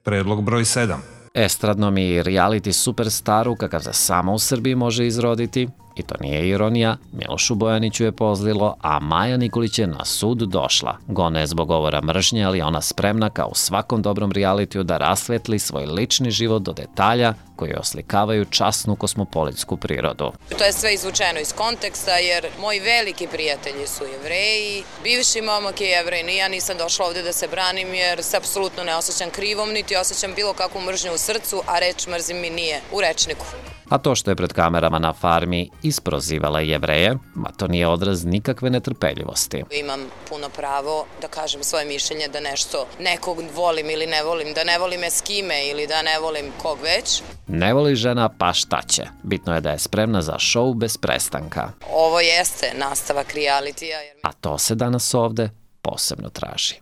Predlog broj 7. Estradnom i reality superstaru kakav se samo u Srbiji može izroditi, i to nije ironija, Milošu Bojaniću je pozlilo, a Maja Nikolić je na sud došla. Gone je zbog govora mržnje, ali ona spremna kao u svakom dobrom realitiju da rasvetli svoj lični život do detalja koji oslikavaju časnu kosmopolitsku prirodu. To je sve izvučeno iz konteksta jer moji veliki prijatelji su Jevreji, bivši momak je Jevrej, ni ja nisam došla ovde da se branim jer se apsolutno ne osjećam krivom, niti osjećam bilo kakvu mržnju u srcu, a reč mrzim mi nije u rečniku. A to što je pred kamerama na farmi isprozivala Jevreje, ma to nije odraz nikakve netrpeljivosti. Imam puno pravo da kažem svoje mišljenje da nešto nekog volim ili ne volim, da ne volim s kime ili da ne volim kog već. Ne voli žena, pa šta će? Bitno je da je spremna za šou bez prestanka. Ovo jeste nastavak realitija. A to se danas ovde posebno traži.